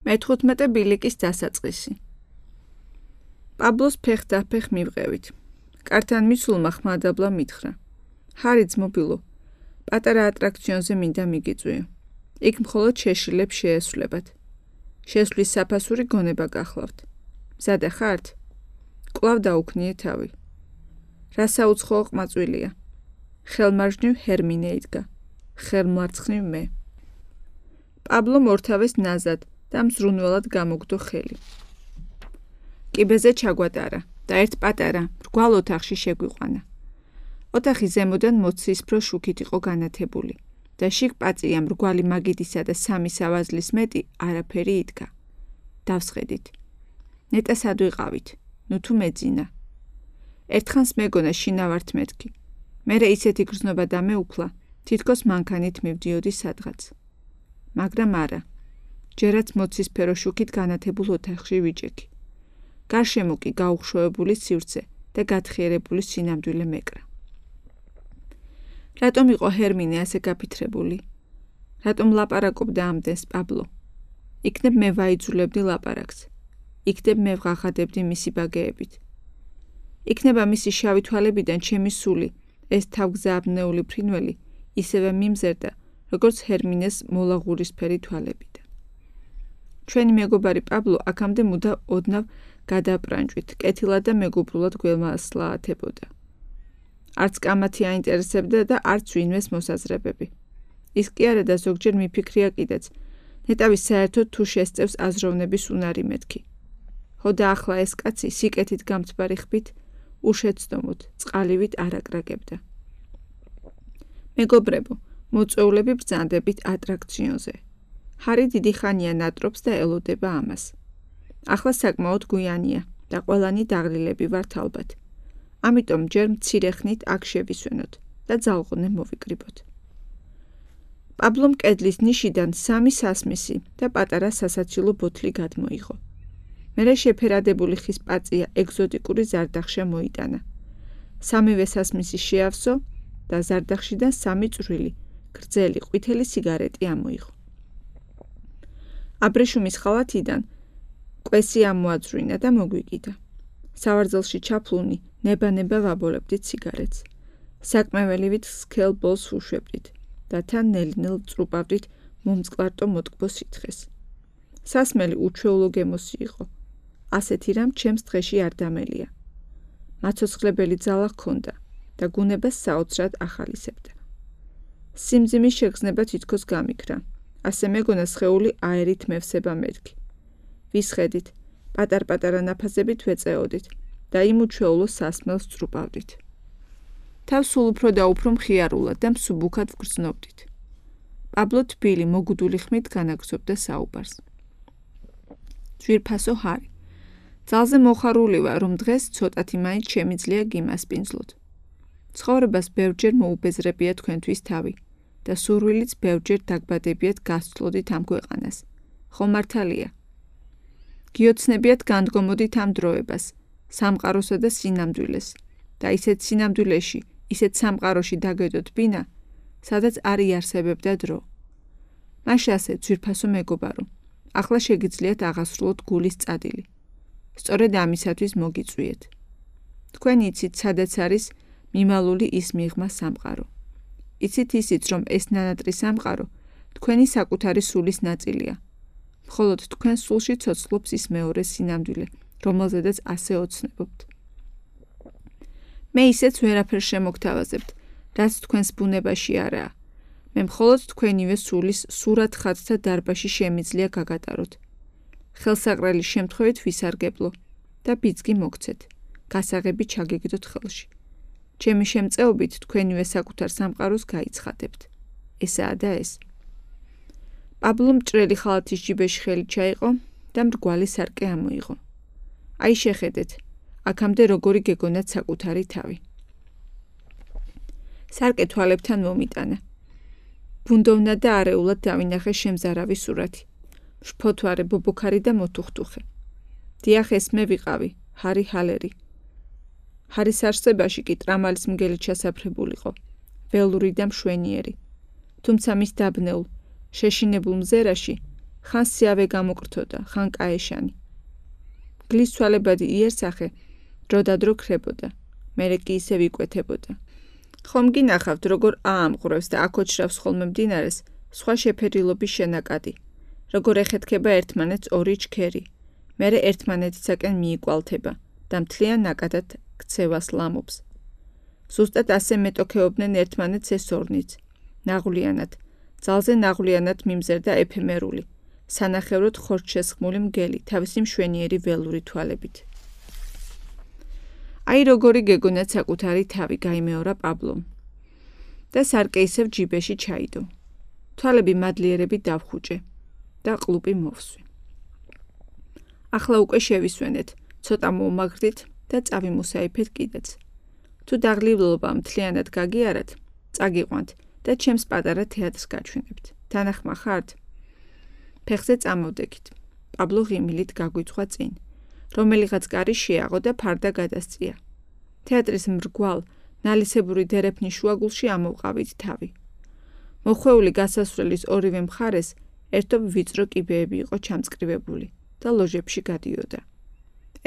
მე-15 ბილიკის დასაწყისი. პაბლოს ფეხ-დაფეხ მივყევით. კართან მისულმა ხმადაბლა მითხრა. ჰარი ძმობილო, პატარა ატრაქციონზე მინდა მიგიწვიო. იქ მხოლოდ შეშლილებს შეესვლებათ. შესვლის საფასური გონება გახლავთ. მზადა ხართ? კვლავ დაუქნიე თავი. რა საუცხოო ყმაწვილია. ხელმარჯვნივ ჰერმინე იდგა. ხელმარცხნივ მე. პაბლო მორთავეს ნაზად და მზრუნველად გამოგდო ხელი. კიბეზე ჩაგვატარა და ერთ პატარა, მრგვალ ოთახში შეგვიყვანა. ოთახი ზემოდან მოცისფრო შუქით იყო განათებული და შიგ პაწია მრგვალი მაგიდისა და 3 სავაზლის მეტი არაფერი იდგა. დავსხედით. ნეტა სად ვიყავით? ნუ თუ მეძინა. ერთხანს მეგონა შინავართ მეთქი. მერე ისეთი გრძნობა დამეუფლა, თითქოს მანქანით მივდიოდი სადღაც. მაგრამ არა. ჯერაც მოცისფრო შუქით განათებულ ოთახში ვიჭექი. გარშემო კი გაუხშოებული სივრცე და გათხიერებული სინამდვილე მეკრა. რატომ იყო ჰერმინე ასე გაფიქრებული? რატომ ლაპარაკობდა ამდენს პაბლო? იქნებ მე ვაიძულებდი ლაპარაკს. იქნებ მე ვღაღადებდი მისი ბაგეებით. იქნება მისი შავი თვალებიდან ჩემი სული, ეს თავგზააბნეული ფრინველი, ისევე მიმზერდა, როგორც ჰერმინეს მოლაღურისფერი თვალებიდან. ჩვენი მეგობარი პაბლო აქამდე მუდა ოდნავ გადაპრანჭვით, კეთილად და მეგობრულად გველმასლაათებოდა. არც კამათი აინტერესებდა და არც ვინმეს მოსაზრებები. ის კი არა და ზოგჯერ მიფიქრია კიდეც, ნეტავის საერთოდ თუ შესწევს აზროვნების უნარი მეთქი. ხო და ახლა ეს კაცი სიკეთით გამთბარი ხბით, უშეცდომოდ, წყალივით არაკრაკებდა. მეგობრებო, მოწვეულები ბრძანდებით ატრაქციონზე. ჰარი დიდი ხანია ნატრობს და ელოდება ამას. ახლა საკმაოდ გვიანია და ყველანი დაღლილები ვართ ალბათ. ამიტომ ჯერ მცირე ხნით აქ შევისვენოთ და ძალღონე მოვიკრიბოთ. პაბლომ კედლის ნიშიდან 3 სასმისი და პატარა სასაცილო ბოთლი გადმოიღო. მერე შეფერადებული ხის პაწია ეგზოტიკური ზარდახშა მოიტანა. 3-ვე სასმისი შეავსო და ზარდახშიდან 3 წვრილი, გრძელი, ყვითელი სიგარეტი ამოიღო. აბრეშუმის ხალათიდან კვესი ამოაძვრინა და მოგვიკიდა. სავარძელში ჩაფლუნი, ნება-ნება ვაბოლებდით სიგარეტს. საკმეველივით სქელ ბოლს უშვებდით და თან ნელ-ნელ წრუპავდით მომწყლარტო მოტკბო სითხეს. სასმელი უჩვეულო გემოსი იყო. ასეთი რამ ჩემს დღეში არ დამელია. მაცოცხლებელი ძალა ჰქონდა და გუნებას საოცრად ახალისებდა. სიმძიმის შეგრძნება თითქოს გამიქრა. ასე მეგონა სხეული აერით მევსება მეთქი. ვისხედით, პატარ-პატარა ნაფაზებით ვეწეოდით და იმ უჩვეულო სასმელს წრუპავდით. თავს სულ უფრო და უფრო მხიარულად და მსუბუქად ვგრძნობდით. პაბლო თბილი მოგუდული ხმით განაგრძობდა საუბარს. ძვირფასო ჰარი. ძალზე მოხარული ვარ, რომ დღეს ცოტათი მაინც შემიძლია გიმასპინძლოთ. ცხოვრებას ბევრჯერ მოუბეზრებია თქვენთვის თავი და სურვილიც ბევრჯერ დაგბადებიათ გასცლოდით ამ ქვეყანას. ხო მართალია. გიოცნებიათ განდგომოდით ამ დროებას, სამყაროსა და სინამდვილეს და ისეთ სინამდვილეში, ისეთ სამყაროში დაგედოთ ბინა, სადაც არ იარსებებდა დრო. მაშ ასე ძვირფასო მეგობარო, ახლა შეგიძლიათ აღასრულოთ გულის წადილი. სწორედ ამისათვის მოგიწვიეთ. თქვენ იცით, სადაც არის მიმალული ის მიღმა სამყარო. იცით ისიც, რომ ეს ნანატრი სამყარო თქვენი საკუთარი სულის ნაწილია. მხოლოდ თქვენ სულში ცოცხლობს ის მეორე სინამდვილე, რომელზედაც ასე ოცნებობთ. მე ისეც ვერაფერს შემოგთავაზებთ, რაც თქვენს ბუნებაში არაა. მე მხოლოდ თქვენივე სულის სურად ხატთა დარბაში შემიძლია გაგატაროთ. ხელსაყრელის შემთხვევით ვისარგებლო და ბიძგი მოგცეთ. გასაღები ჩაგეგდოთ ხელში. ჩემი შემწეობით თქვენივე საკუთარ სამყაროს გაიცხადებთ. ესაა და ეს. პაბლო მჭრელი ხალათის ჯიბეში ხელი ჩაიყო და მრგვალი სარკე ამოიღო. აი შეხედეთ, აქამდე როგორი გეგონათ საკუთარი თავი. სარკე თვალებთან მომიტანა. ბუნდოვნა და არეულად დავინახე შემზარავი სურათი. შფოთვარე, ბობოქარი და მოთუხტუხე. დიახ, ეს მე ვიყავი, ჰარი ჰალერი. ჰარის არსებაში კი ტრამალის მგელი ჩასაფრებულიყო, ველური და მშვენიერი. თუმცა მის დაბნეულ, შეშინებულ მზერაში ხან სიავე გამოკრთოდა, ხან კაეშანი. გლის ცვალებადი იერსახე დროდადრო ქრებოდა, მერე კი ისევ იკვეთებოდა. ხომ გინახავთ, როგორ აამყვრევს და აკოჩრავს ხოლმე მდინარეს სხვა შეფერილობის შენაკადი, როგორ ეხეთქება ერთმანეთს ორი ჩქერი, მერე ერთმანეთისაკენ მიიკვალთება და მთლიან ნაკადად ქცევას ლამობს. ზუსტად ასე მეტოქეობდნენ ერთმანეთს ეს ორნიც, ნაღვლიანად, ძალზე ნაღვლიანად მიმზერდა ეფემერული, სანახევროდ ხორცშესხმული მგელი თავისი მშვენიერი ველური თვალებით. აი როგორი გეგონათ საკუთარი თავი, გაიმეორა პაბლომ და სარკე ისევ ჯიბეში ჩაიდო. თვალები მადლიერებით დავხუჭე და ყლუპი მოვსვი. ახლა უკვე შევისვენეთ, ცოტა მოვმაგრდით და წავიმუსაიფეთ კიდეც. თუ დაღლილობა მთლიანად გაგიარათ, წაგიყვანთ და ჩემს პატარა თეატრს გაჩვენებთ. თანახმა ხართ? ფეხზე წამოვდექით. პაბლო ღიმილით გაგვიცხვა წინ, რომელიღაც კარი შეაღო და ფარდა გადასწია. თეატრის მრგვალ, ნალისებური დერეფნის შუაგულში ამოვყავით თავი. მოხვეული გასასვლელის ორივე მხარეს ერთობ ვიწრო კიბეები იყო ჩამწკრივებული და ლოჟებში გადიოდა.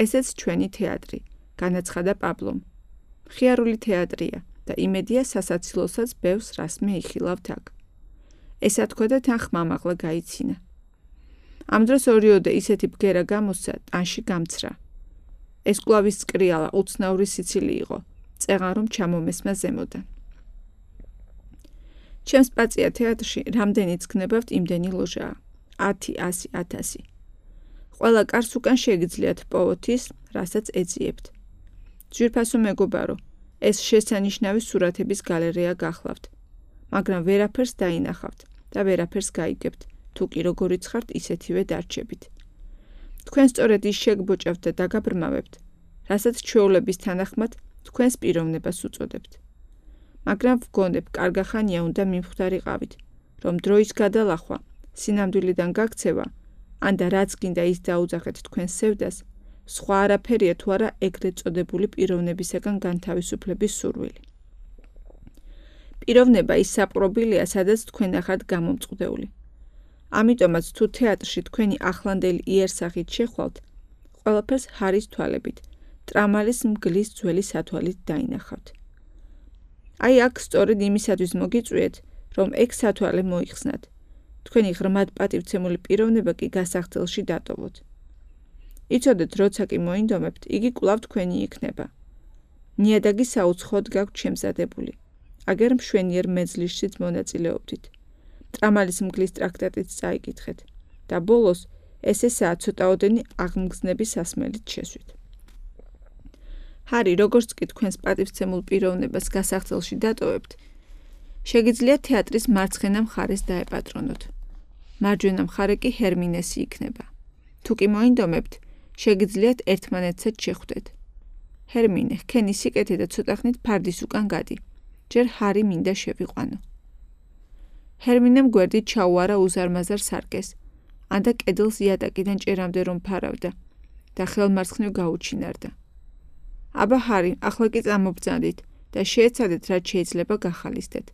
ესეც ჩვენი თეატრი, განაცხადა პაბლომ. მხიარული თეატრია და იმედია სასაცილოსაც ბევრს რასმე იხილავთ აქ. ესა თქვა და თან ხმამაღლა გაიცინა. ამ დროს ორიოდე ისეთი ბგერა გამოსცა, ტანში გამცრა. ეს კვლავის წკრიალა უცნაური სიცილი იყო, წეღან რომ ჩამომესმა ზემოდან. ჩემს პაწია თეატრში რამდენიც გნებავთ, იმდენი ლოჟაა. 10, 100, 1000. ყველა კარს უკან შეგიძლიათ პოვოთის, რასაც ეძიებთ. ძვირფასო მეგობარო, ეს შესანიშნავი სურათების გალერეა გახლავთ, მაგრამ ვერაფერს დაინახავთ და ვერაფერს გაიგებთ, თუ კი როგორიც ხართ ისეთივე დარჩებით. თქვენ სწორედ ის შეგბოჭავთ და დაგაბრმავებთ, რასაც ჩვეულების თანახმად თქვენს პიროვნებას უწოდებთ. მაგრამ ვგონებ, კარგახანია უნდა მიმხვდარიყავით, რომ დროის გადალახვა, სინამდვილიდან გაქცევა, ან და რაც გინდა ის დაუძახეთ თქვენს სევდას, სხვა არაფერია თუ არა ეგრეთ წოდებული პიროვნებისაგან განთავისუფლების სურვილი. პიროვნება ის საპყრობილია, სადაც თქვენ ახართ გამომწყდეული. ამიტომაც თუ თეატრში თქვენი ახლანდელი იერსახით შეხვალთ, ყველაფერს ჰარის თვალებით, ტრამალის მგლის ძველი სათვალით დაინახავთ. აი აქ სწორედ იმისათვის მოგიწვიეთ, რომ ეგ სათვალე მოიხსნათ. თქვენი ღრმად პატივცემული პიროვნება კი გასახდელში დატოვოთ. იცოდეთ, როცა კი მოინდომებთ, იგი კვლავ თქვენი იქნება. ნიადაგი საუცხოდ გაქვთ შემზადებული. აგერ მშვენიერ მეძლისშიც მონაწილეობდით. ტრამალის მგლის ტრაქტატიც წაიკითხეთ და ბოლოს ესესაა ცოტაოდენი აღმგზნების სასმელით შესვით. ჰარი, როგორც კი თქვენს პატივცემულ პიროვნებას გასახდელში დატოვებთ, შეგიძლიათ თეატრის მარცხენა მხარეს დაეპატრონოთ. მარჯვენა მხარე კი ჰერმინესი იქნება. თუ კი მოინდომებთ, შეგიძლიათ ერთმანეთსაც შეხვდეთ. ჰერმინე, ხენი სიკეთე და ცოტახნით ფარდის უკან გადი. ჯერ ჰარი მინდა შევიყვანო. ჰერმინემ გვერდით ჩაუარა უზარმაზარ სარკეს, ანდა კედელს იატაკიდან ჭერამდე რომ ფარავდა და ხელმარცხნივ გაუჩინარდა. აბა ჰარი, ახლა კი წამობძანდით და შეეცადეთ, რაც შეიძლება გახალისდეთ.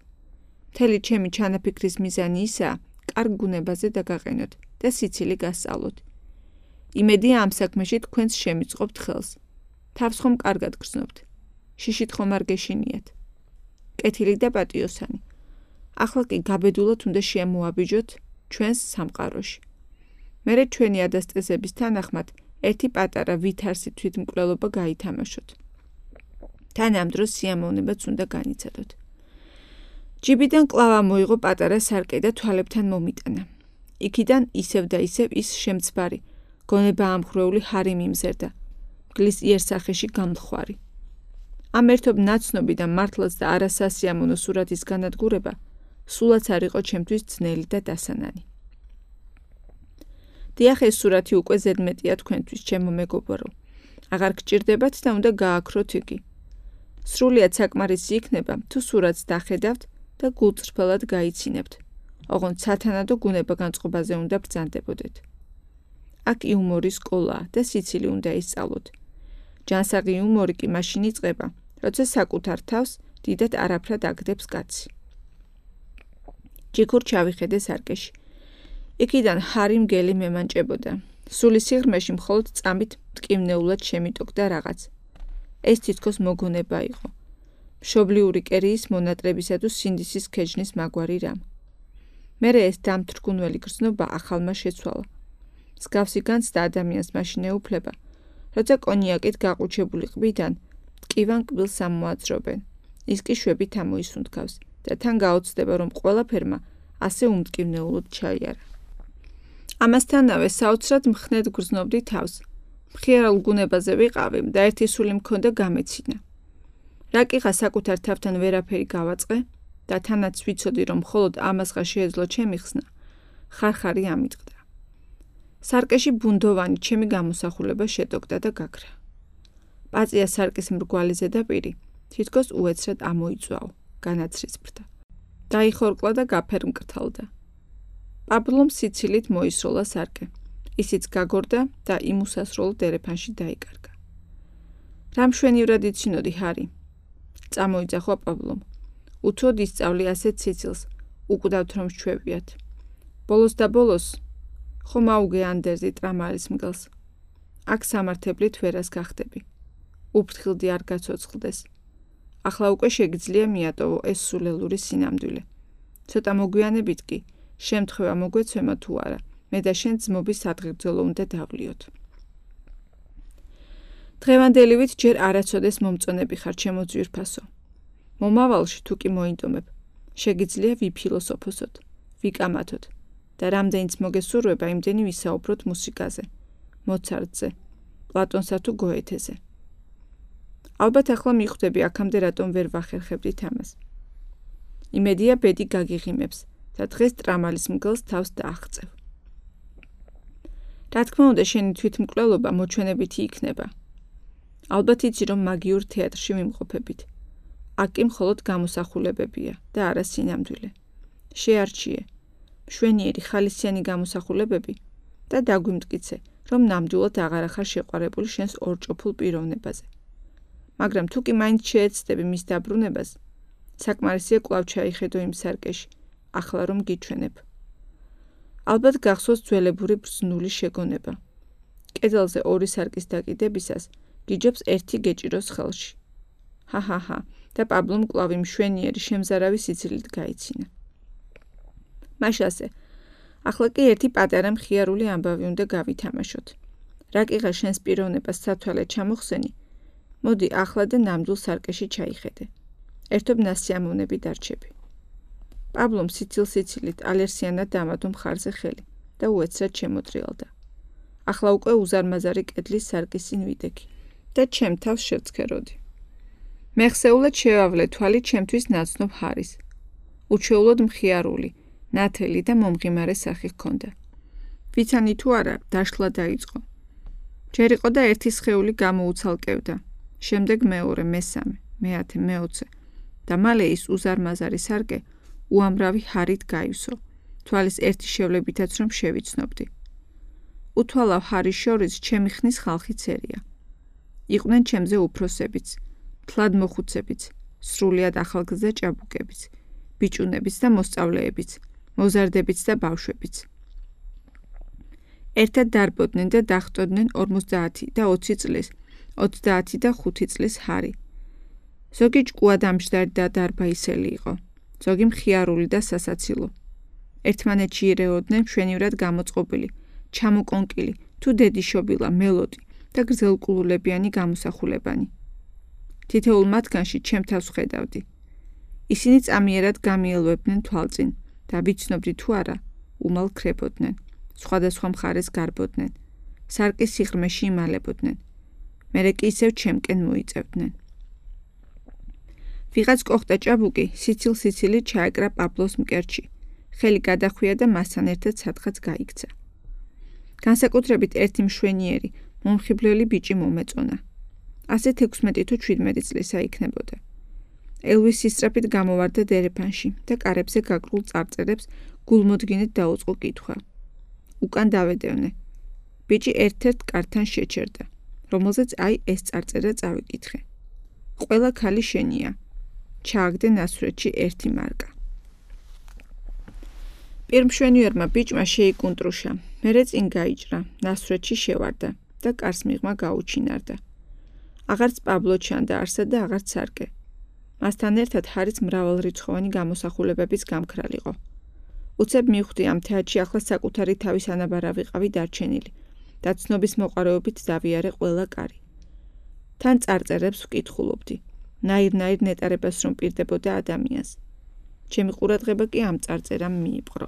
მთელი ჩემი ჩანაფიქრის მიზანი ისაა, კარგ გუნებაზე დაგაყენოთ და სიცილი გასწავლოთ. იმედია ამ საქმეში თქვენს შემიწყობთ ხელს. თავს ხომ კარგად გრძნობთ. შიშით ხომ არ გეშინიათ. კეთილი და პატიოსანი. ახლა კი გაბედულად უნდა შემოაბიჯოთ ჩვენს სამყაროში. მერე ჩვენი ადასტესების თანახმად ერთი პატარა ვითარსი თვითმკვლელობა გაითამაშოთ. თან ამ დროს სიამოვნებაც უნდა განიცადოთ. ჯიბიდან კლავა მოიღო პატარა სარკე და თვალებთან მომიტანა. იქიდან ისევ და ისევ ის შემცბარი, გონება ამხრეული ჰარი მიმზერდა, მგლის იერსახეში გამლხვარი. ამ ერთობ ნაცნობი და მართლაც და არასასიამოვნო სურათის განადგურება სულაც არ იყო ჩემთვის ძნელი და დასანანი. დიახ, ეს სურათი უკვე ზედმეტია თქვენთვის, ჩემო მეგობარო. აღარ გჭირდებათ და უნდა გააქროთ იგი. სრულიად საკმარისი იქნება, თუ სურათს დახედავთ და გულწრფელად გაიცინებთ. ოღონდ სათანადო გუნება განწყობაზე უნდა ბრძანდებოდეთ. აქ იუმორის სკოლაა და სიცილი უნდა ისწავლოთ. ჯანსაღი იუმორი კი მაშინ იწყება, როცა საკუთარ თავს დიდად არაფრად აგდებს კაცი. ჯიქურ ჩავიხედე სარკეში. იქიდან ჰარი მგელი მემანჭებოდა. სული სიღრმეში მხოლოდ წამით მტკივნეულად შემიტოკდა რაღაც. ეს თითქოს მოგონება იყო. მშობლიური კერიის მონატრებისა თუ სინდისის ქეჯნის მაგვარი რამ. მერე ეს დამთრგუნველი გრძნობა ახალმა შეცვალა. მსგავსი განცდა ადამიანს მაშინ ეუფლება, როცა კონიაკით გაყუჩებული ყბიდან მტკივან კბილს ამოაძრობენ. ის კი შვებით ამოისუნთქავს და თან გაოცდება, რომ ყველაფერმა ასე უმტკივნეულად ჩაიარა. ამასთანავე საოცრად მხნედ გრძნობდი თავს. მხიარულ გუნებაზე ვიყავი და ერთი სული მქონდა გამეცინა. რა კიღა საკუთარ თავთან ვერაფერი გავაწყე და თანაც ვიცოდი, რომ მხოლოდ ამასღა შეეძლო ჩემი ხსნა, ხარხარი ამიტყდა. სარკეში ბუნდოვანი ჩემი გამოსახულება შეტოკდა და გაქრა. პაწია სარკის მრგვალი ზედაპირი თითქოს უეცრად ამოიწვაო, განაცრისფრდა. დაიხორკლა და გაფერმკრთალდა. პაბლომ სიცილით მოისროლა სარკე. ისიც გაგორდა და იმ უსასრულო დერეფანში დაიკარგა. რა მშვენივრად იცინოდი, ჰარი? წამოიძახვა პაბლომ. უთოდ ისწავლი ასეთ სიცილს, უკვდავთ რომ შჩვევიათ. ბოლოს და ბოლოს ხომ აუგე ანდერზი ტრამარის მგელს. აქ სამართებლით ვერას გახდები. უფრთხილდი არ გაცოცხლდეს. ახლა უკვე შეგიძლია მიატოვო ეს სულელური სინამდვილე. ცოტა მოგვიანებით კი შემთხვევა მოგვეცემა თუ არა, მე და შენ ძმობის სადღეგრძელო უნდა დავლიოთ. დღევანდელივით ჯერ არაცოდეს მომწონები ხარ, ჩემო ძვირფასო. მომავალში თუ კი მოინდომებ, შეგიძლია ვიფილოსოფოსოთ, ვიკამათოთ და რამდენიც მოგესურვება იმდენი ვისაუბროთ მუსიკაზე, მოცარტზე, პლატონსა თუ გოეთეზე. ალბათ ახლა მიხვდები აქამდე რატომ ვერ ვახერხებდით ამას. იმედია ბედი გაგიღიმებს და დღეს ტრამალის მგელს თავს დააღწევ. რა თქმა უნდა, შენი თვითმკვლელობა მოჩვენებითი იქნება. ალბათ იცი, რომ მაგიურ თეატრში ვიმყოფებით. აქ კი მხოლოდ გამოსახულებებია და არა სინამდვილე. შეარჩიე მშვენიერი ხალისიანი გამოსახულებები და დაგვიმტკიცე, რომ ნამდვილად აღარ ახარ შეყვარებული შენს ორჭოფულ პიროვნებაზე. მაგრამ თუ კი მაინც შეეცდები მის დაბრუნებას, საკმარისია კვლავ ჩაიხედო იმ სარკეში, ახლა რომ გიჩვენებ. ალბათ გახსოვს ძველებური ბრძნული შეგონება. კედელზე ორი სარკის დაკიდებისას გიჯობს ერთი გეჭიროს ხელში. ჰა და პაბლომ კვლავ მშვენიერი შემზარავი სიცილით გაიცინა. მაშასე, ახლა კი ერთი პატარა მხიარული ამბავი უნდა გავითამაშოთ. რა კიღა შენს პიროვნებას სათვალე ჩამოხსენი, მოდი ახლა და ნამდვილ სარკეში ჩაიხედე. ერთობ ნასიამოვნები დარჩები. პაბლომ სიცილით ალერსიანად დამადო მხარზე ხელი და უეცრად შემოტრიალდა. ახლა უკვე უზარმაზარი კედლის სარკისին ვიდექი და ჩემ თავს შევცქეროდი. მეხსეულად შევავლე თვალი ჩემთვის ნაცნობ ჰარის. უჩვეულოდ მხიარული, ნათელი და მომღიმარე სახე ჰქონდა. ვიცანი თუ არა, დაშლა დაიწყო. ჯერ იყო და ერთი სხეული გამოუცალკევდა. შემდეგ მეორე, მესამე, მეათე, მეოცე და მალე ის უზარმაზარი სარკე უამრავი ჰარით გაივსო, თვალის ერთი შევლებითაც რომ შევიცნობდი. უთვალავ ჰარის შორის ჩემი ხნის ხალხი წერია. იყვნენ ჩემზე უფროსებიც, თლად მოხუცებიც, სრულიად ახალგზა ჭაბუკებიც, ბიჭუნებიც და მოსწავლეებიც, მოზარდებიც და ბავშვებიც. ერთად დარბოდნენ და დახტოდნენ 50 და 20 წლის, 30 და 5 წლის ჰარი. ზოგი ჭკუადამჯდარი და დარბაისელი იყო, ზოგი მხიარული და სასაცილო. ერთმანეთში ირეოდნენ მშვენივრად გამოწყობილი, ჩამოკონკილი, თუ დედიშობილა, მელოდი და გრძელკულულებიანი გამოსახულებანი. თითოეულ მათგანში ჩემ თავს ხედავდი. ისინი წამიერად გამიელვებდნენ თვალწინ და ვიცნობდი თუ არა, უმალ ქრებოდნენ, სხვადასხვა მხარეს გარბოდნენ, სარკის სიღრმეში იმალებოდნენ. მერე კი ისევ ჩემკენ მოიწევდნენ. ვიღაც კოხტა ჭაბუკი სიცილით ჩაეკრა პაბლოს მკერდში, ხელი გადახვია და მასთან ერთად სათხაც გაიქცა. განსაკუთრებით ერთი მშვენიერი, მომხიბვლელი ბიჭი მომეწონა. ასეთ 16 თუ 17 წლისა იქნებოდა. ელვის სისწრაფით გამოვარდა დერეფანში და კარებზე გაკრულ წარწერებს გულმოდგინედ დაუწყო კითხვა. უკან დავედევნე. ბიჭი ერთ-ერთ კართან შეჩერდა, რომელზეც აი ეს წარწერა წავიკითხე. ყველა ქალი შენია. ჩააგდე ნასვრეთში 1 მარკა. პირმშვენიერმა ბიჭმა შეიკუნტრუშა, მერე წინ გაიჭრა, ნასვრეთში შევარდა და კარს მიღმა გაუჩინარდა. აღარც პაბლო ჩანდა არსად და აღარც სარკე. მასთან ერთად ჰარიც მრავალრიცხოვანი გამოსახულებების გამქრალიყო. უცებ მივხვდი ამ თეატრში ახლა საკუთარი თავის ანაბარა ვიყავი დარჩენილი და ცნობის მოყარეობით დავიარე ყველა კარი. თან წარწერებს ვკითხულობდი. ნაირ-ნაირ ნეტარებას რომ პირდებოდა ადამიანს. ჩემი ყურადღება კი ამ წარწერამ მიიპყრო.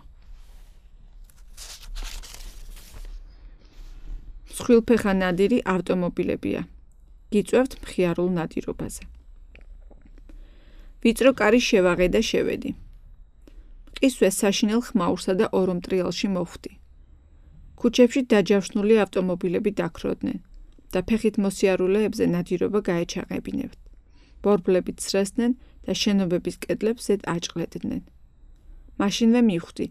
მსხვილფეხა ნადირი ავტომობილებია. გიწვევთ მხიარულ ნადირობაზე. ვიწრო კარი შევაღე და შევედი. მყისვეს საშინელ ხმაურსა და ორომტრიალში მოვხვდი. ქუჩებში დაჯავშნული ავტომობილები დაქროდნენ და ფეხით მოსიარულეებზე ნადირობა გაეჩაღებინებთ. ბორბლებით სრესდნენ და შენობების კედლებს ზედ აჭყლედნენ. მაშინვე მივხვდი,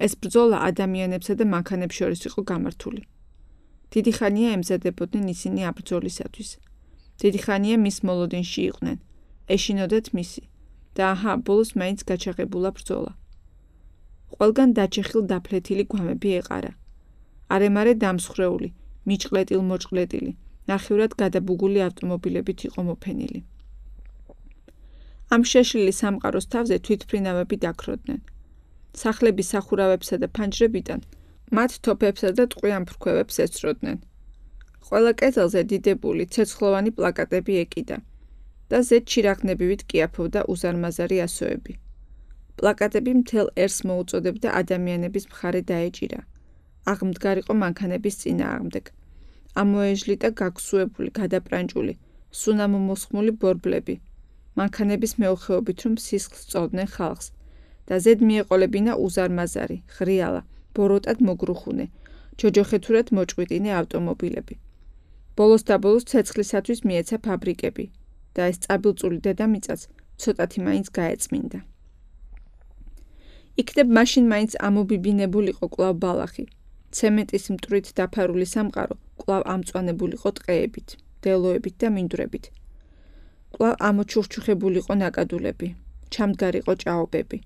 ეს ბრძოლა ადამიანებსა და მანქანებს შორის იყო გამართული. დიდი ხანია ემზადებოდნენ ისინი ამ ბრძოლისათვის. დიდი ხანია მის მოლოდინში იყვნენ. ეშინოდათ მისი და აჰა, ბოლოს მაინც გაჩაღებულა ბრძოლა. ყველგან დაჩეხილ დაფლეთილი გვამები ეყარა. არემარე დამსხრეული, მიჭყლეტილ-მოჭყლეტილი, ნახევრად გადაბუგული ავტომობილებით იყო მოფენილი. ამ შეშლილი სამყაროს თავზე თვითმფრინავები დაქროდნენ. სახლების სახურავებსა და ფანჯრებიდან მათ თოფებსა და ტყვიან ფრქვევებს ეცროდნენ. ყველა კედელზე დიდებული, ცეცხლოვანი პლაკატები ეკიდა და ზედ ჩირაღნებივით კიაფობდა უზარმაზარი ასოები. პლაკატები მთელ ერს მოუწოდებდა ადამიანების მხარე დაეჭირა. აღმდგარიყო მანქანების წინააღმდეგ. ამოეჟლიტა გაგსუებული, გადაპრანჭული, სუნამომოსხმული ბორბლები. მანქანების მეოხეობით რომ სისხლს სწოვდნენ ხალხს და ზედ მიეყოლებინა უზარმაზარი, ღრიალა, ბოროტად მოგრუხუნე, ჯოჯოხეთურად მოჭყვიტინე ავტომობილები. ბოლოს და ბოლოს ცეცხლისათვის მიეცა ფაბრიკები და ეს წაბილწული დედამიწაც ცოტათი მაინც გაეწმინდა. იქნებ მაშინ მაინც ამობიბინებულიყო კვლავ ბალახი. ცემენტის მტვრით დაფარული სამყარო კვლავ ამწვანებულიყო ტყეებით, დელოებით და მინდვრებით. კვლავ ამოჩურჩუხებულიყო ნაკადულები, ჩამდგარიყო ჭაობები.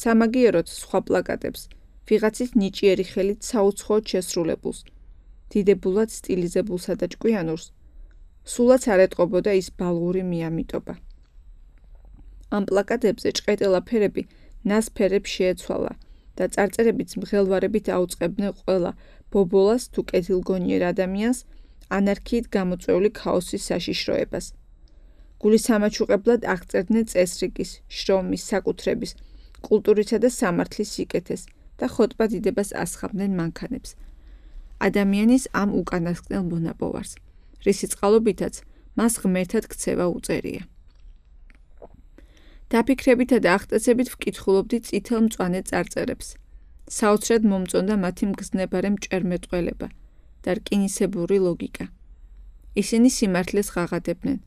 სამაგიეროდ სხვა პლაკატებს, ვიღაცის ნიჭიერი ხელით საუცხოოდ შესრულებულს, დიდებულად სტილიზებულსა და ჭკვიანურს, სულაც არ ეტყობოდა ის ბალღური მიამიტობა. ამ პლაკატებზე ჭყეტელა ფერები ნას ფერებს შეეცვალა და წარწერებიც მღელვარებით აუწყებდნენ ყველა ბობოლას თუ კეთილგონიერ ადამიანს ანარქიით გამოწვეული ქაოსის საშიშროებას. გულისამაჩუყებლად აღწერდნენ წესრიგის, შრომის, საკუთრების, კულტურისა და სამართლის სიკეთეს და ხოტბა დიდებას ასხამდნენ მანქანებს. ადამიანის ამ უკანასკნელ მონაპოვარს, რისი წყალობითაც მას ღმერთად ქცევა უწერია. დაფიქრებითა და აღტაცებით ვკითხულობდი წითელ მწვანე წარწერებს. საოცრად მომწონდა მათი მგზნებარე მჭერმეტყველება და რკინისებური ლოგიკა. ისინი სიმართლეს ღაღადებდნენ,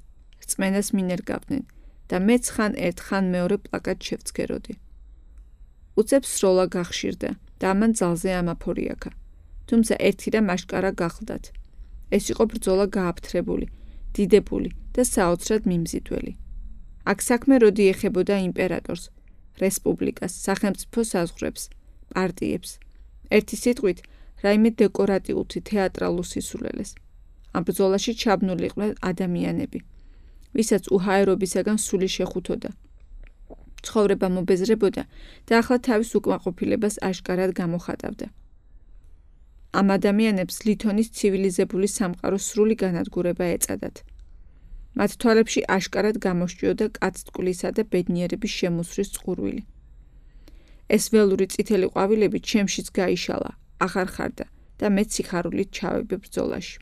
რწმენას მინერგავდნენ და მეც ხან ერთ ხან მეორე პლაკატ შევცქეროდი. უცებ სროლა გახშირდა და ამან ძალზე ამაფორიაქა. თუმცა ერთი რამ აშკარა გახლდათ. ეს იყო ბრძოლა გააფთრებული, დიდებული და საოცრად მიმზიდველი. აქ საქმე როდი ეხებოდა იმპერატორს, რესპუბლიკას, სახელმწიფო საზღვრებს, პარტიებს. ერთი სიტყვით, რაიმე დეკორატიულთი თეატრალურ სისულელეს. ამ ბრძოლაში ჩაბნულიყვნენ ადამიანები, ვისაც უჰაერობისაგან სული შეხუთოდა. ცხოვრება მობეზრებოდა და ახლა თავის უკმაყოფილებას აშკარად გამოხატავდა. ამ ადამიანებს ლითონის ცივილიზებული სამყაროს სრული განადგურება ეწადათ. მათ თვალებში აშკარად გამოსჭიოდა კაცტკვლისა და ბედნიერების შემოსვრის წყურვილი. ეს ველური წითელი ყვავილები ჩემშიც გაიშალა, აღარ ხარდა და მეც სიხარულით ჩავები ბრძოლაში.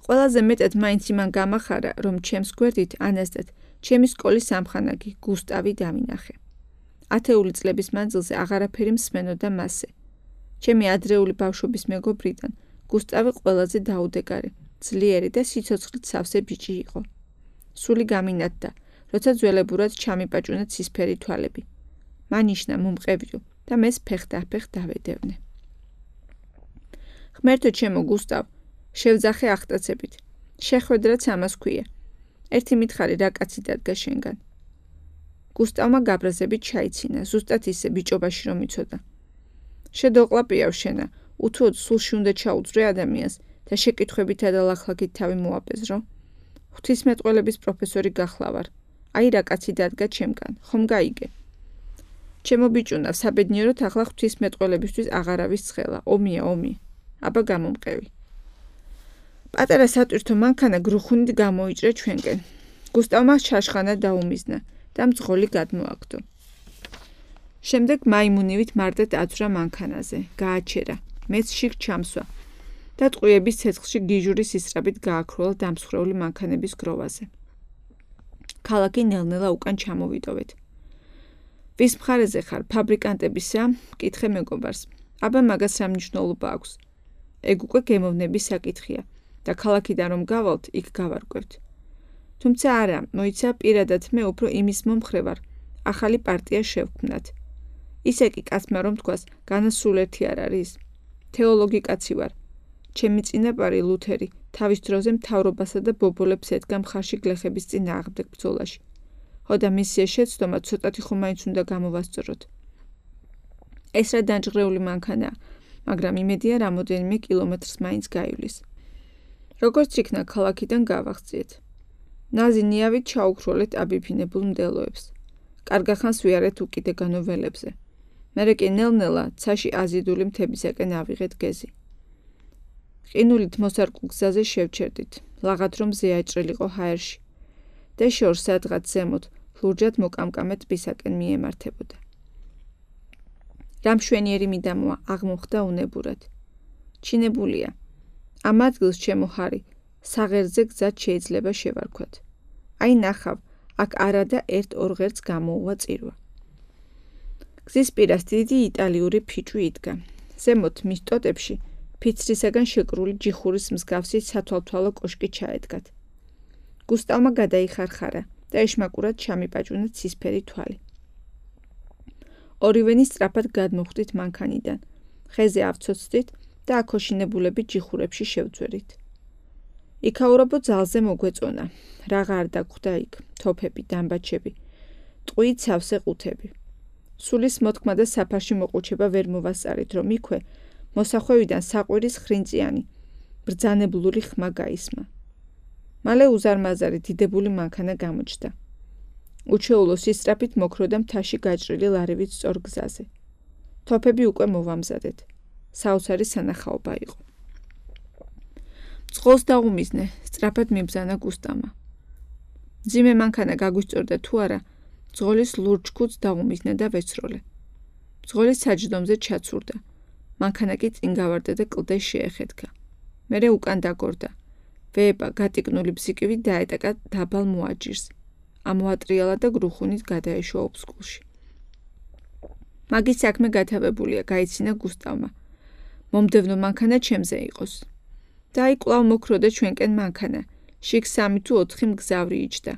ყველაზე მეტად მაინც იმან გამახარა, რომ ჩემს გვერდით ანასტად ჩემი სკოლის სამხანაგი გუსტავი დავინახე. 10 წლების მანძილზე აღარაფერი მსმენოდა მასზე. ჩემი ადრეული ბავშვობის მეგობრიდან გუსტავი ყველაზე დაუდეგარი, ძლიერი და სიცოცხლით სავსე ბიჭი იყო. სული გამინათდა, როცა ძველებურად ჩამიპაჭუნა ცისფერი თვალები. მანიშნა მომყევიო და მეს ფეხ-დაფეხ დავედევნე. ღმერთო ჩემო გუსტავ, შევძახე გუსტავმა გაბრაზებით ჩაიცინა, ზუსტად ისე ბიჭობაში რომ იცოდა. შედოყლაპიავ შენა, უთუოდ სულში უნდა ჩაუძრე ადამიანს და შეკითხვებითა და ლახლაკით თავი მოაპეზრო. ღვთისმეტყველების პროფესორი გახლავარ. აი რა კაცი დადგა ჩემგან, ხომ გაიგე? ჩემო ბიჭუნა, საბედნიეროდ ახლა ღვთისმეტყველებისთვის აღარავის ცხელა, ომია, ომი. აბა გამომყევი. პატარა სატვირთო მანქანა გრუხუნით გამოიჭრე ჩვენკენ. გუსტავმა შაშხანა დაუმიზნა და მძღოლი გადმოაგდო. შემდეგ მაიმუნივით მარტად აცვრა მანქანაზე, გააჩერა, მეც შიგ ჩამსვა და ტყუების ცეცხლში გიჟური სისწრაფით გააქროლა დამსხვრეული მანქანების გროვაზე. ქალაქი ნელ-ნელა უკან ჩამოვიდოვეთ. ვის მხარეზე ხარ, ფაბრიკანტებისა? კითხე მეგობარს. აბა მაგას რა მნიშვნელობა აქვს? ეგ უკვე გემოვნების საკითხია და ქალაქიდან რომ გავალთ, იქ გავარკვევთ. თუმცა არა, მოიცა პირადად მე უფრო იმის მომხრე ვარ, ახალი პარტია შევქმნათ. ისე კი კაცმა რომ თქვას, განასულერთი არ არის. თეოლოგი კაცი ვარ. ჩემი წინაპარი ლუთერი თავის დროზე მთავრობასა და ბობოლებს ედგა მხარში გლეხების წინააღმდეგ ბრძოლაში. ხოდა მისია შეცდომა ცოტათი ხომ მაინც უნდა გამოვასწოროთ. ეს რა დანჯღრეული მანქანაა, მაგრამ იმედია რამოდენიმე კილომეტრს მაინც გაივლის. როგორც იქნა ქალაქიდან გავახციეთ. ნაზინიავით ჩაუქროლეთ აბიფინებულ მდელოებს. კარგახანს ვიარეთ უკიდეგანო ველებზე. მერე კი ნელ-ნელა ცაში აზიდული მთებისაკენ ავიღეთ გეზი. ყინულით მოსარკულ გზაზე შევჩერდით, ლაღად რომ ზეაჭრილიყო ჰაერში და შორს სადღაც ზემოთ ლურჯად მოკამკამე ტბისაკენ მიემართებოდა. რა მშვენიერი მიდამოა, აღმოხდა უნებურად. ჩინებულია. ამ ადგილს ჩემო ჰარი, საღერძე გზად შეიძლება შევარქვათ. აი ნახავ, აქ არადა ერთ-ორ ღერს გამოუვა წირვა. გზის პირას დიდი იტალიური ფიჭვი იდგა. ზემოთ მის ტოტებში ფიცრისაგან შეკრული ჯიხურის მსგავსი სათვალთვალო კოშკი ჩაედგათ. გუსტავმა გადაიხარხარა და ეშმაკურად ჩამიპაჭუნა ცისფერი თვალი. ორივენი სწრაფად გადმოხვდით მანქანიდან, ხეზე ავცოცდით და აქოშინებულები ჯიხურებში შევძვერით. იქაურობო ძალზე მოგვეწონა, რაღა არ დაგხვდა იქ, თოფები, დამბაჩები, ტყვიით სავსე ყუთები. სულის მოთქმა და საფარში მოყუჩება ვერ მოვასწარით, რომ იქვე მოსახვევიდან საყვირის ხრინწიანი, ბრძანებლური ხმა გაისმა. მალე უზარმაზარი დიდებული მანქანა გამოჩნდა. უჩვეულო სისწრაფით მოქროდა მთაში გაჭრილი ლარივით სწორ გზაზე. თოფები უკვე მოვამზადეთ. საოცარი სანახაობა იყო. მძღოლს დაუმიზნე, სწრაფად მიბრძანა გუსტავმა. მძიმე მანქანა გაგვისწორდა თუ არა, მძღოლის ლურჯ ქუდს დაუმიზნე და ვეცროლე. მძღოლის საჯდომზე ჩაცურდა. მანქანა კი წინ გავარდა და კლდეს შეეხეთქა. მერე უკან დაგორდა. ვეება გატიკნული ბზიკივი დაეტაკა დაბალ მოაჯირს. ამოატრიალა და გრუხუნით გადაეშვა ოფსკულში. მაგის საქმე გათავებულია, გაიცინა გუსტავმა. მომდევნო მანქანა ჩემზე იყოს. და აი კვლავ მოქროდა ჩვენკენ მანქანა. შიგ 3 თუ 4 მგზავრი იჯდა.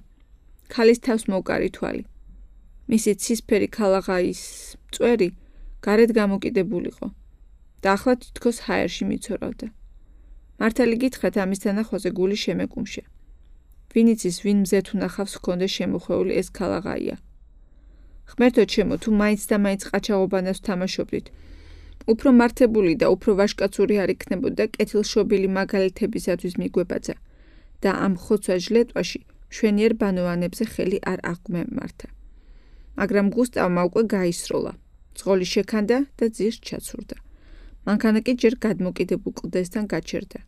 ქალის თავს მოკარი თვალი. მისი ცისფერი ქალაღაის წვერი გარეთ გამოკიდებულიყო. და ახლა თითქოს ჰაერში მიცორავდა. მართალი გითხრათ, ამის თანახვაზე გული შემეკუმშა. ვინ იცის, ვინ მზეთ უნახავს ჰქონდა შემოხვეული ეს ქალაღაია. ღმერთო ჩემო, თუ მაინც და მაინც ყაჩაღობანას ვთამაშობდით, უფრო მართებული და უფრო ვაშკაცური არ იქნებოდა კეთილშობილი მაგალითებისათვის მიგვებაძა და ამ ხოცვა ჟლეტვაში მშვენიერ ბანოვანებზე ხელი არ აღგვემართა. მაგრამ გუსტავმა უკვე გაისროლა. მძღოლი შექანდა და ძირს ჩაცურდა. მანქანა კი ჯერ გადმოკიდებულ კლდესთან გაჩერდა.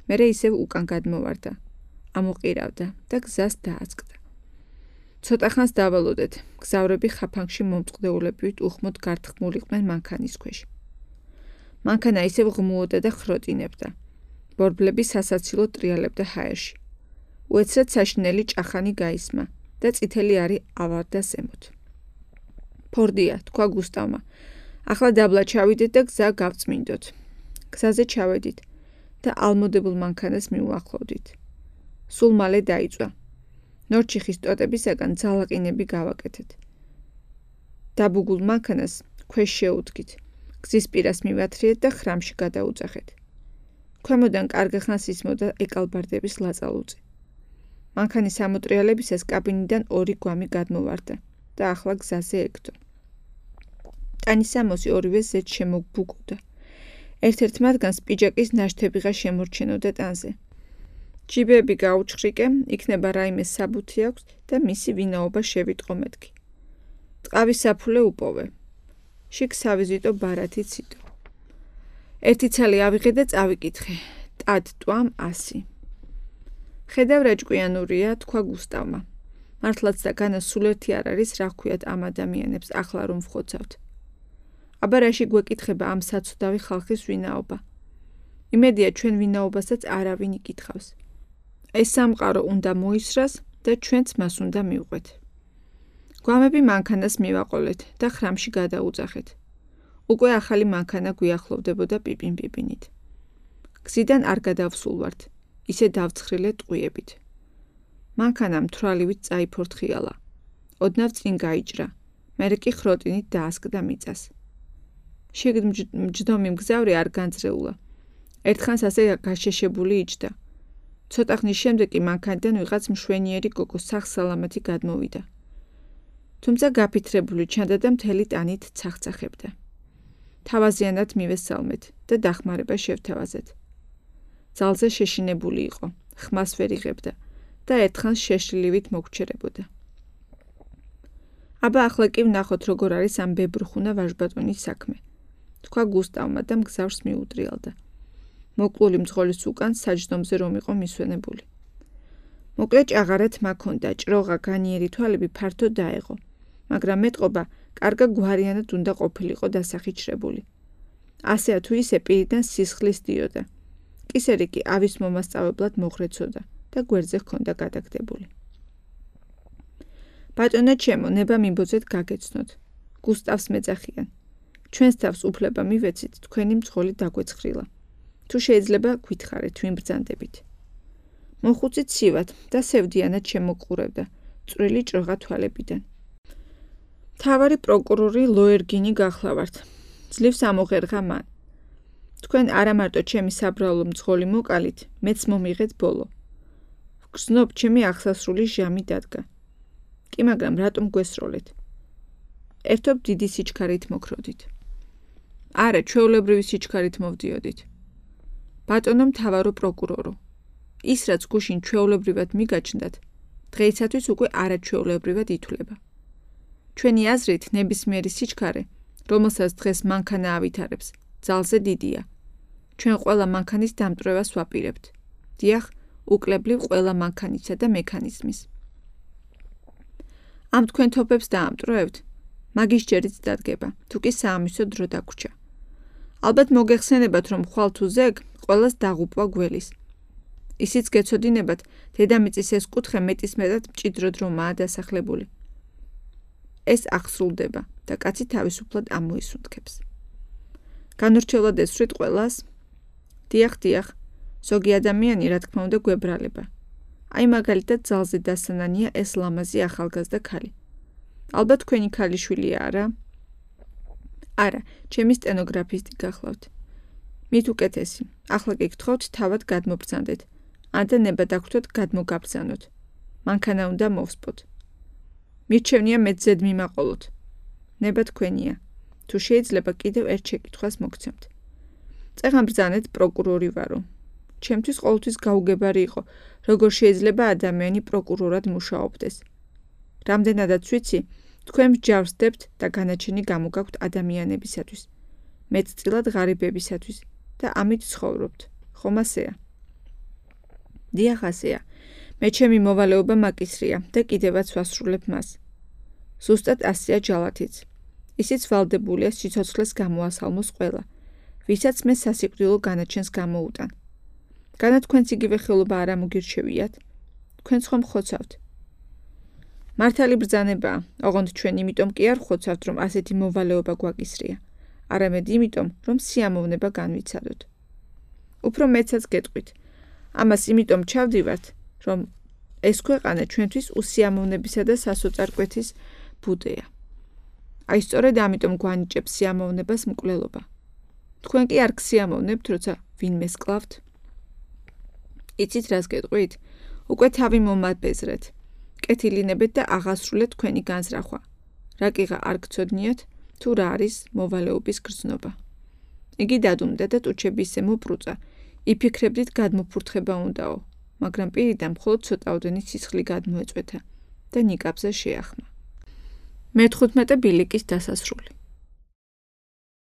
მერე ისევ უკან გადმოვარდა. ამოყირავდა და გზას დააწყდა. ცოტა ხანს დავალოდეთ. გზავრები ხაფანგში მომწყდეულებივით უხმოდ გართხმულიყვნენ მანქანის ქვეშ. მანქანა ისევ ღმუოდა და ხროტინებდა. ბორბლები სასაცილო ტრიალებდა ჰაერში. უეცრად საშინელი ჭახანი გაისმა და წითელი არი ავარდა ზემოთ. ფორდია, თქვა გუსტავმა. ახლა დაბლა ჩავიდეთ და გზა გავწმინდოთ. გზაზე ჩავედით და ალმოდებულ მანქანას მიუახლოვდით. სულ მალე დაიწვა. ნორჩიხის ტოტებისაგან ძალაყინები გავაკეთეთ. დაბუგულ მანქანას ქვეშ შეუდგით. გზის პირას მივათრიეთ და ხრამში გადაუძახეთ. ქვემოდან კარგახანს ისმოდა ეკალბარდების ლაწალუწი. მანქანის ამოტრიალებისას კაბინიდან 2 გვამი გადმოვარდა. და ახლა გზაზე ეგდო. ტანისამოსი ორივე ზედ შემოგბუგოდა. ერთ-ერთ მათგანს პიჯაკის ნაშთებიღა შემორჩენოდა ტანზე. ჯიბეები გაუჩხრიკე, იქნება რაიმე საბუთი აქვს და მისი ვინაობა შევიტყო მეთქი. ტყავის საფულე უპოვე. შიგ სავიზიტო ბარათი ციტო. ერთი ცალი ავიღე და წავიკითხე. ტად ტვამ 100. ხედავ რა ჭკვიანურია, თქვა გუსტავმა. მართლაც და განა სულ ერთი არ არის, რა ხვიათ ამ ადამიანებს ახლა რომ ვხოცავთ. აბა რაში გვეკითხება ამ საცუდავი ხალხის ვინაობა. იმედია ჩვენ ვინაობასაც არავინ იკითხავს. ეს სამყარო უნდა მოისრას და ჩვენც მას უნდა მივყვეთ. გვამები მანქანას მივაყოლეთ და ხრამში გადაუძახეთ. უკვე ახალი მანქანა გვიახლოვდებოდა პიპინ-პიპინით. გზიდან არ გადავსულვართ, ისე დავცხრილე ტყვიებით. მანქანა მთვრალივით წაიფორთხიალა. ოდნავ წინ გაიჭრა, მერე კი ხროტინით დაასკდა მიწას. შიგ მჯდომი მგზავრი არ განძრეულა. ერთხანს ასე გაშეშებული იჯდა. ცოტა ხნის შემდეგ კი მანქანიდან ვიღაც მშვენიერი გოგო სახსალამათი გადმოვიდა. თუმცა გაფითრებული ჩანდა და მთელი ტანით ცახცახებდა. თავაზიანად მივესალმეთ და დახმარება შევთავაზეთ. ძალზე შეშინებული იყო, ხმას ვერ იღებდა და ერთხანს შეშლილივით მოგჩერებოდა. აბა ახლა კი ვნახოთ როგორ არის ამ ბებრხუნა ვაჟბატონის საქმე. თქვა გუსტავმა და მგზავრს მიუტრიალდა. მოკლული მძღოლის უკან საჯდომზე რომ იყო მისვენებული. მოკლე ჭაღარა თმა ჰქონდა, ჭროღა განიერი თვალები ფართო დაეღო, მაგრამ მეტყობა კარგა გვარიანად უნდა ყოფილიყო დასახიჩრებული. ასეა თუ ისე პირიდან სისხლის დიოდა. კისერი კი ავის მომასწავლებლად მოხრეცოდა და გვერდზე ჰქონდა გადაგდებული. ბატონო ჩემო, ნება მიმბოძეთ გაგეცნოთ. გუსტავს მეძახიან. ჩვენს თავს უფლება მივეცით, თქვენი მძღოლი დაგვეცხრილა. თუ შეიძლება გვითხარეთ, ვიმბრძანდებით. მოხუცით ცივად და სევდიანად შემოყურებდა, წვრილი ჭროღა თვალებიდან. მთავარი პროკურორი ლოერგინი გახლავართ. ძლივს ამოღერღა მან. თქვენ არა მარტო ჩემი საბრალო მძღოლი მოკალით, მეც მომიღეთ ბოლო. ვგრძნობ, ჩემი აღსასრული ჟამი დადგა. კი, მაგრამ რატომ გვესროლეთ? ერთობ დიდი სიჩქარით მოკროდით. არა, ჩვეულებრივი სიჩქარით მოვდიოდით. ბატონო მთავარო პროკურორო, ის რაც გუშინ ჩვეულებრივად მიგაჩნდათ, დღეისათვის უკვე არაჩვეულებრივად ითვლება. ჩვენი აზრით ნებისმიერი სიჩქარე, რომელსაც დღეს მანქანა ავითარებს, ძალზე დიდია. ჩვენ ყველა მანქანის დამტვრევას ვაპირებთ. დიახ, უკლებლივ ყველა მანქანისა და მექანიზმის. ამ თქვენ თოფებს დაამტვრევთ, მაგის ჯერიც დადგება, თუ კი საამისო დრო დაგვრჩა. ალბათ მოგეხსენებათ, რომ ხვალ თუ ზეგ ყველას დაღუპვა გველის. ისიც გეცოდინებათ, დედამიწის ეს კუთხე მეტისმეტად მჭიდროდ რომაა დასახლებული. ეს აღსრულდება და კაცი თავისუფლად ამოისუნთქებს. განურჩევლად ესვრით ყველას? დიახ, ზოგი ადამიანი რა თქმა უნდა გვებრალება. აი მაგალითად ძალზე დასანანია ეს ლამაზი ახალგაზრდა ქალი. ალბათ თქვენი ქალიშვილია, არა? არა, ჩემი სტენოგრაფისტი გახლავთ. მით უკეთესი, ახლა კი გთხოვთ თავად გადმობრძანდეთ, ან და ნება დაგვრთოთ გადმოგაბრძანოთ. მანქანა უნდა მოვსპოთ. მირჩევნია მეც ზედ მიმაყოლოთ. ნება თქვენია. თუ შეიძლება კიდევ ერთ შეკითხვას მოგცემთ. წეღან ბრძანეთ პროკურორი ვარო. ჩემთვის ყოველთვის გაუგებარი იყო, როგორ შეიძლება ადამიანი პროკურორად მუშაობდეს. რამდენადაც ვიცი, თქვენ მსჯავრსდებთ და განაჩენი გამოგაქვთ ადამიანებისათვის, მეტწილად ღარიბებისათვის და ამით ცხოვრობთ. ხომ ასეა? დიახ, ასეა. მე ჩემი მოვალეობა მაკისრია და კიდევაც ვასრულებ მას. ზუსტად ასეა ჯალათიც. ისიც ვალდებულია სიცოცხლეს გამოასალმოს ყველა, ვისაც მე სასიკვდილო განაჩენს გამოუტან. განა თქვენც იგივე ხელობა არ ამოგირჩევიათ? თქვენც ხომ ხოცავთ? მართალი ბრძანებაა, ოღონდ ჩვენ იმიტომ კი არ ხოცავთ, რომ ასეთი მოვალეობა გვაკისრია, არამედ იმიტომ, რომ სიამოვნება განვიცადოთ. უფრო მეცაც გეტყვით. ამას იმიტომ ჩავდივართ, რომ ეს ქვეყანა ჩვენთვის უსიამოვნებისა და სასოწარკვეთის ბუდეა. აი სწორედ ამიტომ გვანიჭებს სიამოვნებას მკვლელობა. თქვენ კი არ გსიამოვნებთ, როცა ვინმეს კლავთ? იცით რას გეტყვით? უკვე თავი მომაბეზრეთ. კეთილინებეთ და აღასრულეთ თქვენი განზრახვა. რაკიღა არ გცოდნიათ, თუ რა არის მოვალეობის გრძნობა. იგი დადუმდა და ტუჩები ისე მოპრუწა, იფიქრებდით გადმოფურთხება უნდაო, მაგრამ პირიდან მხოლოდ ცოტაოდენი სისხლი გადმოეწვეთა და ნიკაპზე შეახმა. მე-15 ბილიკის დასასრული.